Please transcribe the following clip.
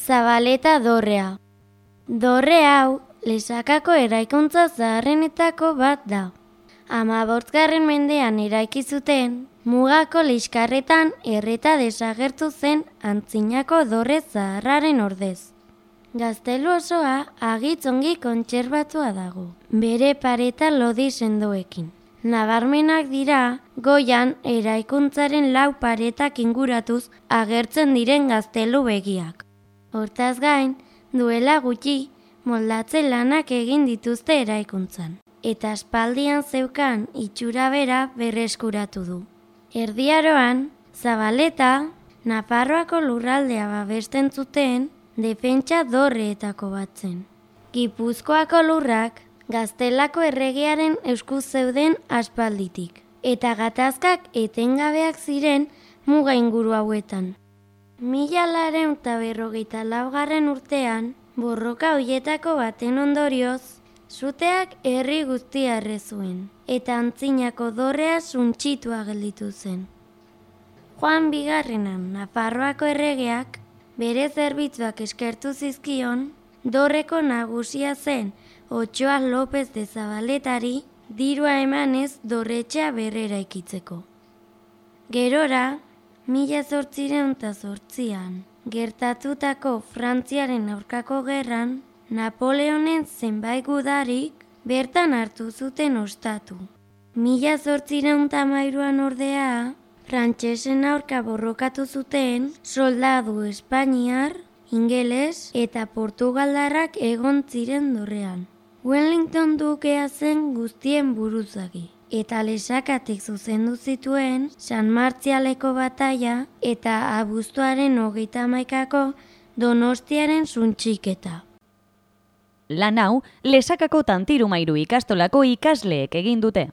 Zabaleta dorrea. Dorre hau, Lesakako eraikuntza zaharrenetako bat da. 15. mendean eraiki zuten, Mugako liskarretan erreta desagertu zen antzinako dorre zaharraren ordez. Gaztelu osoa agitz ongi kontserbatua dago, bere pareta lodi sendoekin. Nabarmenak dira, goian eraikuntzaren 4 paretak inguratuz agertzen diren gaztelu begiak. Hortaz gain, duela gutxi, moldatze lanak egin dituzte eraikuntzan, eta aspaldian zeukan itxura bera berreskuratu du. Erdi Aroan, Zabaleta, Nafarroako lurraldea babesten zuten defentsa dorreetako bat zen. Gipuzkoako lurrak Gaztelako erregearen esku zeuden aspalditik, eta gatazkak etengabeak ziren muga inguru hauetan. 1954 urtean, borroka hoietako baten ondorioz, suteak herri guztia erre zuen, eta antzinako dorrea suntsitua gelditu zen. Juan Bigarrenan Nafarroako erregeak bere zerbitzuak eskertu zizkion, dorreko nagusia zen Otxoa López de Zabaletari dirua emanez dorretxea berrera ikitzeko. Gerora, 1808an gertatutako Frantziaren aurkako gerran, Napoleonen zenbait gudarik bertan hartu zuten ostatu. 1813an ordea, frantsesen aurka borrokatu zuten soldadu espainiar, ingeles eta portugaldarrak egon ziren dorrean. Wellington dukea zen guztien buruzagi, eta Lesakatik zuzendu zituen San Martzialeko bataila eta abuztuaren 31ko Donostiaren suntsiketa. Lan hau, Lesakako Tantirumairu ikastolako ikasleek egin dute.